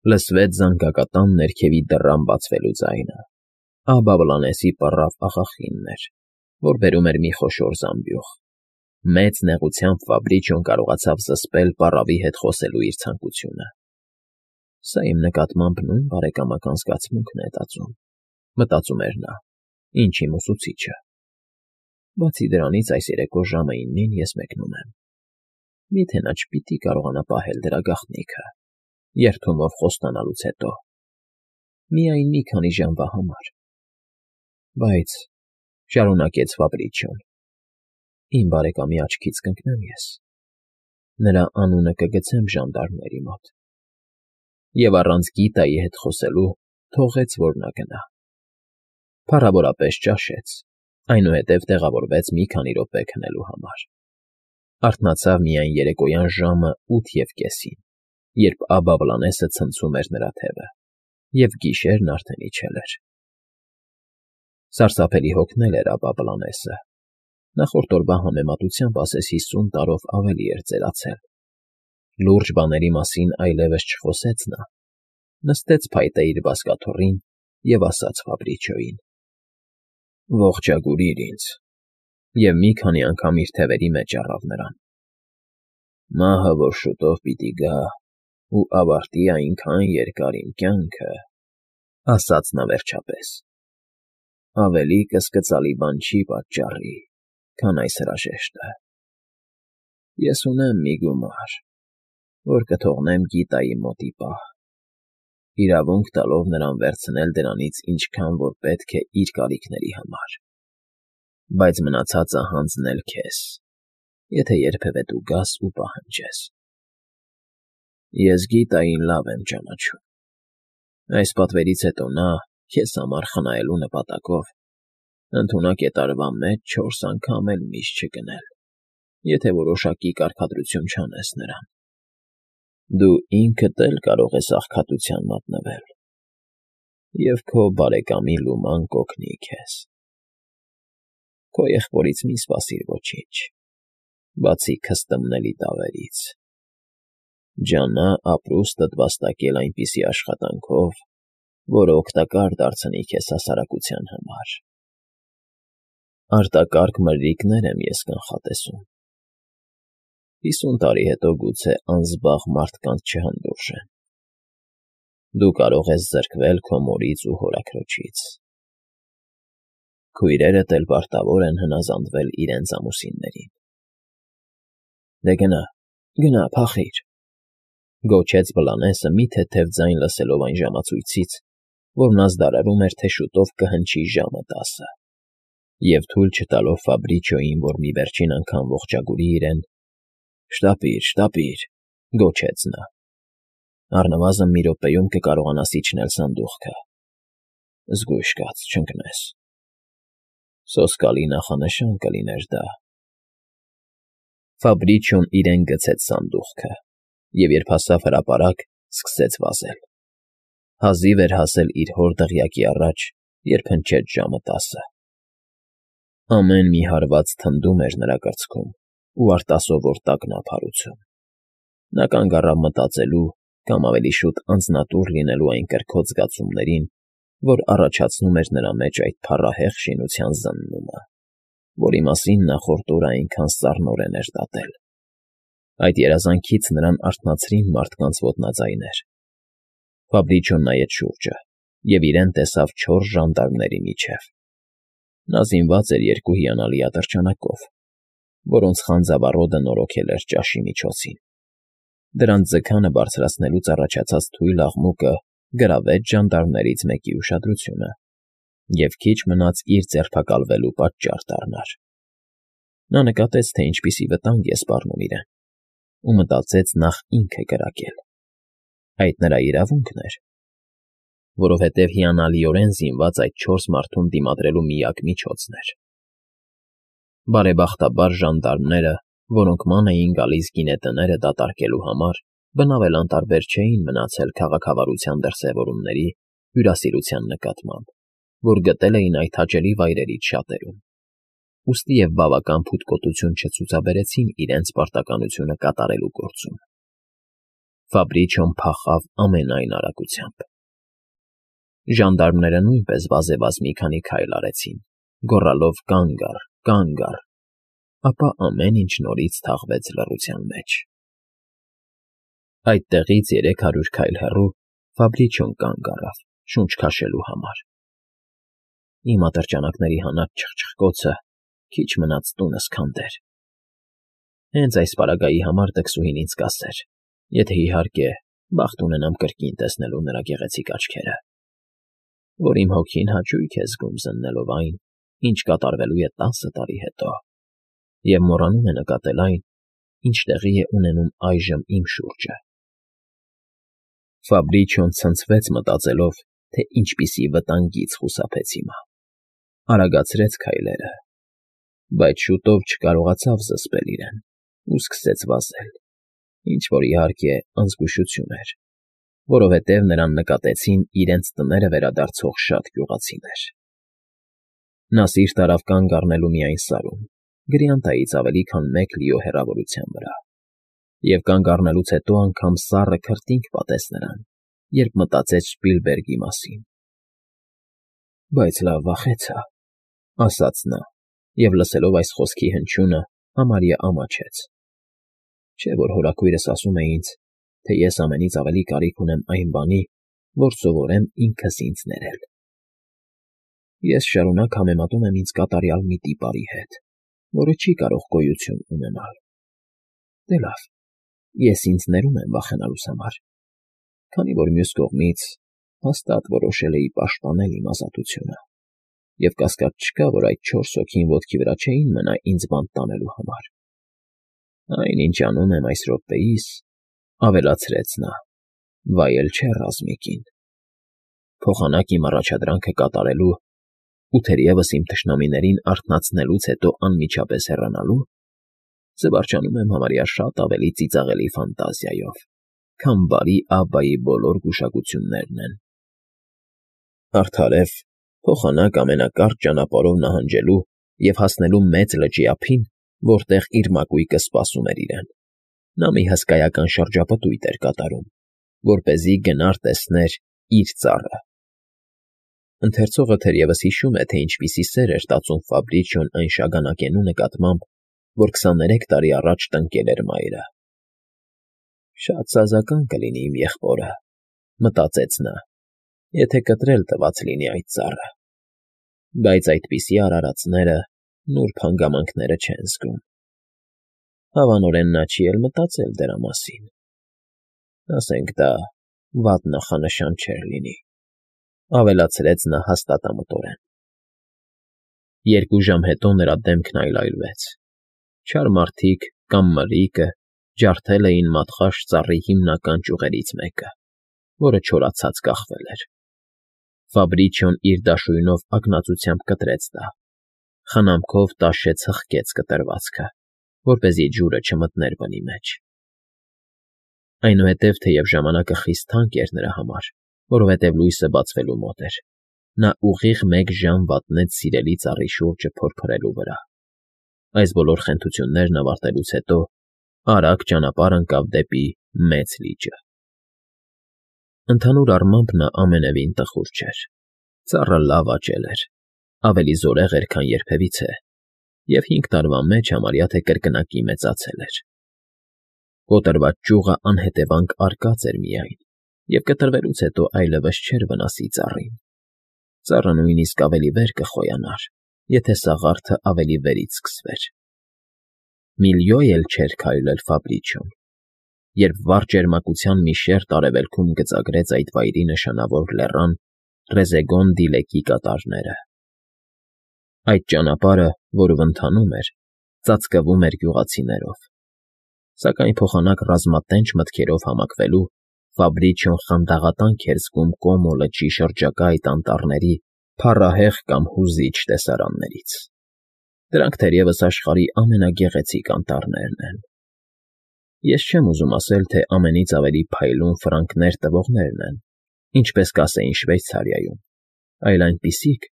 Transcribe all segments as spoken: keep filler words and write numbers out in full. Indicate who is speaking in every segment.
Speaker 1: Լսվեց զանգակատան ներքևի դռան բացվելու ձայնը։ Աբաբլանեսի պառավ աղախինն էր, որ բերում էր մի խոշոր զամբյուղ։ Մեծ նեղությամբ Ֆաբրիչիոն կարողացավ զսպել պառավի հետ խոսելու իր ցանկությունը։ «Սա իմ նկատմամբ նույն բարեկամական զգացմունքն է տածում», մտածում էր նա, «ինչ իմ ուսուցիչը։ Բացի դրանից, այս երեկո ժամը իննին ես մեկնում եմ։ Մի՞թե նա չպիտի կարողանա պահել դրա գաղտնիքը, երդումով խոստանալուց հետո։ Միայն մի քանի ժամվա համար»։ Բայց,֊ շարունակեց Ֆաբրիչիոն,֊ իմ բարեկամի աչքից կընկնեմ ես, նրա անունը կգցեմ ժանդարմների մոտ։ Եվ առանց Գիտայի հետ խոսելու թողեց, որ նա գնա։ Փառավորապես ճաշեց, այնուհետև տեղավորվեց մի քանի րոպե քնելու համար։ Արթնացավ միայն երեկոյան ժամը ութ և կեսին, երբ Աբաբլանեսը ցնցում էր նրա թևը, և գիշերն արդեն իջել էր։ Սարսափելի հոգնել էր Աբաբլանեսը։ Նախորդ օրվա համեմատությամբ ասես հիսուն տարով ավելի էր ծերացել։ Լուրջ բաների մասին այլևս չխոսեց նա, նստեց փայտե իր բազկաթոռին և ասաց Ֆաբրիչիոյին. «Ողջագուրիր ինձ», և մի քանի անգամ իր թևերի մեջ առավ նրան։ «Մահը, որ շուտով պիտի գա ու ավարտի այնքան երկար իմ կյանքը,֊ ասաց նա վերջապես,֊ ավելի կսկծալի բան չի պատճառի, քան այս հրաժեշտը։ Ես ունեմ մի գումար, որ կթողնեմ Գիտայի մոտ ի պահ, իրավունք տալով նրան վերցնել դրանից ինչքան որ պետք է իր կարիքների համար, բայց մնացածը հանձնել քեզ, եթե երբևէ դու գաս ու պահանջես։ Ես Գիտային լավ եմ ճանաչում։ Այս պատվերից հետո նա, քեզ համար խնայելու նպատակով, ընդունակ է տարվա մեջ չորս անգամ էլ միշ չգնել, եթե որոշակի կարգադրություն չանես նրան։ Դու ինքդ էլ կարող ես աղքատության մատնվել, և քո բարեկամի լուման կօգնի քեզ։ Քո եղբորից մի սպասիր ոչինչ, բացի քստմնելի տաղերից։ Ջանա ապրուստդ վաստակել այնպիսի աշխատանքով, որը օգտակար դարձնի քեզ հասարակության համար։ Արտակարգ մրրիկներ եմ ես կանխատեսում։ Հիսուն տարի հետո գուցե անզբաղ մարդկանց չհանդուրժեն։ Դու կարող ես զրկվել քո մորից ու հորաքրոջից։ Քույրերդ էլ պարտավոր են հնազանդվել իրենց ամուսիններին։ Դե գնա, գնա, փախիր,֊ գոչեց Բլանեսը մի թեթև ձայն լսելով այն ժամացույցից, որն ազդարարում էր, թե շուտով կհնչի ժամը տասը, և թույլ չտալով Ֆաբրիչիոյին, որ մի վերջին անգամ ողջագուրի իրեն, շտապիր, շտապիր,֊ գոչեց նա։ Առնվազն մի րոպեում կկարողանաս իջնել սանդուղքը։ Զգույշ կաց, չընկնես։ Սոսկալի նախանշան կլիներ դա։ Ֆաբրիչիոն իրեն գցեց սանդուղքը, և երբ հասավ հրապարակ, սկսեց վազել։ Հազիվ էր հասել իր հոր դղյակի առաջ, երբ հնչեց ժամը տասը։ Ամեն մի հարված թնդում էր նրա կրծքում ու արտասովոր տագնապարություն։ Նա կանգ առավ մտածելու կամ ավելի շուտ անձնատուր լինելու այն կրքոտ զգացումներին, որ առաջացնում էր նրա մեջ այդ փառահեղ շինության զննումը, որի մասին նախորդ օրը այնքան սառնորեն էր դատել։ Այդ երազանքից նրան արթնացրին մարդկանց ոտնաձայներ։ Ֆաբրիչիոն նայեց շուրջը և իրեն տեսավ չորս ժանդարմների միջև։ Նա զինված էր երկու հիանալի ատրճանակով, որոնց խանձավառոդը նորոգել էր ճաշի միջոցին։ Դրանց ձգանը բարձրացնելուց առաջացած թույլ աղմուկը գրավեց ժանդարմներից մեկի ուշադրությունը, և քիչ մնաց իր ձերբակալվելու պատճառ դառնար։ Նա նկատեց, թե ինչպիսի վտանգ է սպառնում իրեն, ու մտածեց նախ ինքը կրակել։ Այդ նրա իրավունքն էր, որովհետև հիանալիորեն զինված այդ չորս մարդուն դիմադրելու միակ միջոցն էր։ Բարեբախտաբար ժանդարմները, որոնք ման էին գալիս գինետները դատարկելու համար, բնավ էլ անտարբեր չէին մնացել քաղաքավարության դրսևորումների հյուրասիրության նկատմամբ, որ գտել էին այդ հաճելի վայրերից շատերում, ուստի և բավական փութկոտություն չցուցաբերեցին իրենց պարտականությունը կատարելու գործում։ Ֆաբրիչոն փախավ ամենայն արագությամբ։ Ժանդարմները նույնպես վազեվազ մի քանի քայլ արեցին, գոռալով «Կանգ առ, կանգ առ», ապա ամեն ինչ նորից թաղվեց լռության մեջ։ Այդտեղից երեք հարյուր քայլ հեռու Ֆաբրիչոն կանգ առավ, շունչ քաշելու համար։ Իմ ատրճանակների հանած չխչխկոցը քիչ մնաց տունս քանդեր։ Հենց այս պարագայի համար տքսուհին ինձ կասեր, եթե, իհարկե, բախտ ունենամ կրկին տեսնելու նրա գեղեցիկ աչքերը, որ իմ հոգին հաճույք է զգում զննելով այն, ինչ կատարվելու է տասը տարի հետո, և մոռանում է նկատել այն, ինչ տեղի է ունենում այժմ իմ շուրջը։ Ֆաբրիչոն ցնցվեց մտածելով, թե ինչպիսի վտանգից խուսափեց հիմա, արագացրեց քայլերը, բայց շուտով չկարողացավ զսպել իրեն ու սկսեց վազել, ինչ֊որ, իհարկե, անզգուշություն էր, որովհետև նրան նկատեցին իրենց տները վերադարձող շատ գյուղացիներ։ Նա սիրտ արավ կանգ առնելու միայն Սարում, Գրիանտայից ավելի քան մեկ լիո հեռավորության վրա, և կանգ առնելուց հետո անգամ սառը քրտինք պատեց նրան, երբ մտածեց Շպիլբերգի մասին։ «Բայց լավ վախեցա», ֊ ասաց նա, և, լսելով այս խոսքի հնչյունը, համարյա ամաչեց։ Չէ՞ որ հորաքույրս ասում է ինձ, թե ես ամենից ավելի կարիք ունեմ այն բանի, որ սովորեմ ինքս ինձ ներել։ Ես շարունակ համեմատում եմ ինձ կատարյալ մի տիպարի հետ, որը չի կարող գոյություն ունենալ։ Դե լավ, ես ինձ ներում եմ վախենալուս համար, քանի որ մյուս կողմից հաստատ որոշել էի պաշտպանել իմ ազատությունը, և կասկած չկա, որ այդ չորս հոգին ոտքի վրա չէին մնա ինձ բանտ տանելու համար։ Այն, ինչ անում եմ այս րոպեիս, ֊ ավելացրեց նա, ֊ վայել չէ ռազմիկին։ Փոխանակ իմ առաջադրանքը կատարելու ու թերևս իմ թշնամիներին արթնացնելուց հետո անմիջապես հեռանալու, զվարճանում եմ համարյա շատ ավելի ծիծաղելի ֆանտազիայով, քան բարի Աբբայի բոլոր գուշակություններն են։ Արդարև, փոխանակ ամենակարճ ճանապարհով նահանջելու և հասնելու մեծ լճի ափին, որտեղ իր մակույկը սպասում էր իրեն, նա մի հսկայական շրջապտույտ էր կատարում, որպեսզի գնար տեսներ իր ծառը։ Ընթերցողը թերևս հիշում է, թե ինչպիսի սեր էր տածում Ֆաբրիչոն այն շագանակենու նկատմամբ, որ քսաներեք տարի առաջ տնկել էր մայրը։ «Շատ սազական կլինի իմ եղբորը», ֊ մտածեց նա, «եթե կտրել տված լինի այդ ծառը, բայց այդպիսի արարածները նուրբ հանգամանքները չեն զգում։ Հավանորեն նա չի էլ մտածել դրա մասին։ Ասենք դա վատ նախանշան չէր լինի», ֊ ավելացրեց նա հաստատամտորեն։ Երկու ժամ հետո նրա դեմքն այլայլվեց։ Չար մարդիկ կամ մրրիկը ջարդել էին մատխաշ ծառի հիմնական ճյուղերից մեկը, որը չորացած կախվել էր։ Ֆաբրիչոն իր դաշույնով ակնածությամբ կտրեց դա, խնամքով տաշեց֊հղկեց կտրվածքը, որպեսզի ջուրը չմտներ բնի մեջ։ Այնուհետև, թեև ժամանակը խիստ թանկ էր նրա համար, որովհետև լույսը բացվելու մոտ էր, նա ուղիղ մեկ ժամ վատնեց սիրելի ծառի շուրջը փորփրելու վրա։ Այս բոլոր խենթություններն ավարտելուց հետո արագ ճանապարհ ընկավ դեպի Մեծ լիճը։ Ընդհանուր առմամբ նա ամենևին տխուր չէր։ Ծառը լավ աճել էր, ավելի զորեղ էր, քան երբևիցե, և հինգ տարվա մեջ համարյա թե կրկնակի մեծացել էր։ Կոտրված ճյուղը անհետևանք արկած էր միայն, և կտրվելուց հետո այլևս չէր վնասի ծառին։ Ծառը նույնիսկ ավելի վեր կխոյանար, եթե սաղարթը ավելի վերից սկսվեր։ Մի լյո էլ չէր քայլել Ֆաբրիչոն, երբ վառ ճերմակության մի շերտ արևելքում գծագրեց այդ վայրի նշանավոր լեռան Ռեզեգոնդի լեկի կատարները։ Այդ ճանապարհը, որով ընթանում էր, ծածկվում էր գյուղացիներով, սակայն փոխանակ ռազմատենչ մտքերով համակվելու Ֆաբրիչոն խանդաղատանք էր զգում Կոմո լճի շրջակա այդ անտառների փառահեղ կամ հուզիչ տեսարաններից։ Դրանք թերևս աշխարհի ամենագեղեցիկ անտառներն են։ Ես չեմ ուզում ասել, թե ամենից ավելի փայլուն ֆրանկներ տվողներն են, ինչպես կասեին Շվեյցարիայում, այլ այնպիսիք,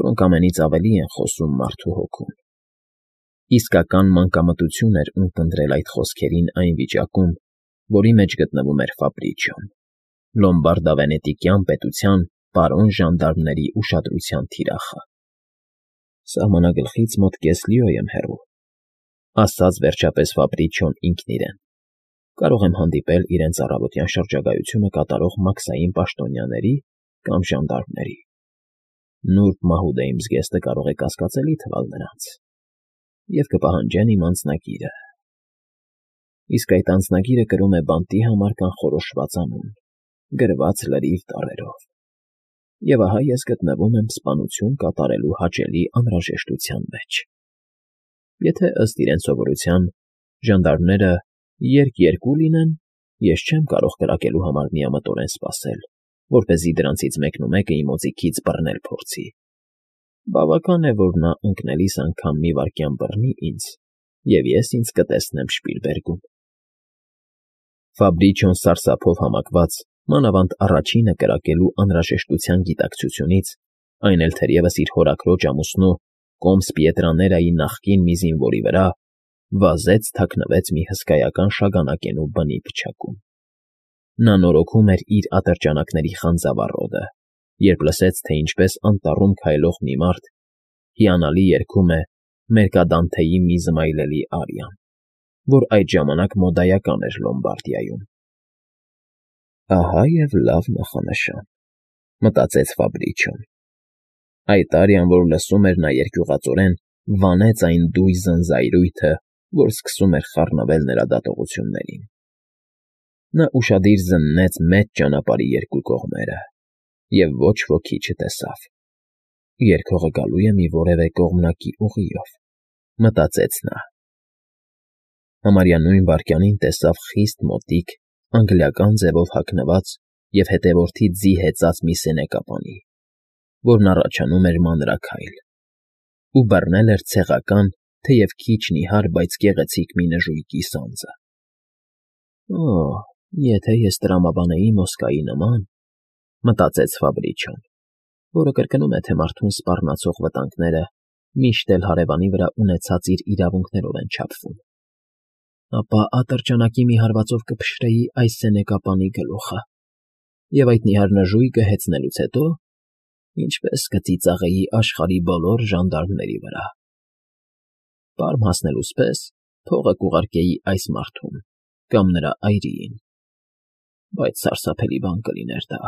Speaker 1: որոնք ամենից ավելի են խոսում մարդու հոգուն։ Իսկական մանկամտություն էր ունկնդրել այդ խոսքերին այն վիճակում, որի մեջ գտնվում էր Ֆաբրիչիոն, Լոմբարդ֊Ավենետիկյան պետության պարոն ժանդարմների ուշադրության թիրախը։ Սահմանագլխից մոտ կես լիո եմ հեռու, ասաց վերջապես Ֆաբրիչիոն ինքն իրեն. կարող եմ հանդիպել իրենց առավոտյան շրջագայությունը կատարող մաքսային պաշտոնյաների կամ ժանդարմների։ Նուրբ մահուդը իմ զգեստը կարող է կասկածելի թվալ նրանց, և կպահանջեն իմ անձնագիրը։ Իսկ այդ անձնագիրը կրում է բանտի համար կանխորոշված անուն, գրված լրիվ տառերով։ Եվ ահա ես գտնվում եմ սպանություն կատարելու հաճելի անհրաժեշտության մեջ։ Եթե ըստ իրենց սովորության ժանդարմները երկ-երկու լինեն, ես չեմ կարող կրակելու համար միամտորեն սպասել, որպեսզի դրանցից մեկնումեկը իմ օձիքից բռնել փորձի։ Բավական է, որ նա ընկնելիս անգամ մի վայրկյան բռնի ինձ, և ես ինձ կտեսնեմ Շպիլբերգում։ Ֆաբրիչիոն սարսափով համակված, մանավանդ առաջինը կրակելու անհրաժեշտության գիտակցությունից, այն էլ թերևս իր հորաքրոջ ամուսնու Կոմս Պիետրաներայի նախկին մի զինվորի վրա, վազեց թաքնվեց մի հսկայական շագանակենու բնի փչակում։ Նա նորոգում էր իր ատրճանակների խանձավառոդը, երբ լսեց, թե ինչպես անտառում քայլող մի մարդ հիանալի երգում է Մերկադանթեի մի զմայլելի արիան, որ այդ ժամանակ մոդայական էր Լոմբարդիայում։ «Ահա և լավ նախանշան», մտածեց Ֆաբրիչիոն։ Այդ արիան, որ լսում էր նա երկյուղածորեն, վանեց այն դույզն զայրույթը, որ սկսում էր խառնվել նրա դատողություններին։ Նա ուշադիր զննեց մեծ ճանապարհի երկու կողմերը, և ոչ ոքի չտեսավ։ Երգողը գալու է մի որևէ կողմնակի ուղիով, մտածեց նա։ Համարյա նույն վայրկյանին տեսավ խիստ մոտիկ, անգլիական ձևով հագնված և հետևորդի ձի հեծած մի սենեկապանի, որն առաջանում էր մանրաքայլ, ու բռնել էր ցեղական, թեև քիչ նիհար, բայց գեղեցիկ մի նժույգի սանձը։ «Օ՜, եթե ես տրամաբանեի Մոսկվայի նման», մտածեց Ֆաբրիչիոն, որը կրկնում է, թե մարդուն սպառնացող վտանգները միշտ էլ հարևանի վրա ունեցած իր իրավունքներով են չափվում, ապա ատրճանակի մի հարվածով կփշրեի այս սենեկապանի գլուխը, և այդ նիհար նժույգը հեծնելուց հետո ինչպես կծիծաղեի աշխարհի բոլոր ժանդարմների վրա։ Պարմ հասնելուս պես փողը կուղարկեի այս մարդուն կամ նրա այրիին, բայց սարսափելի բան կլիներ դա։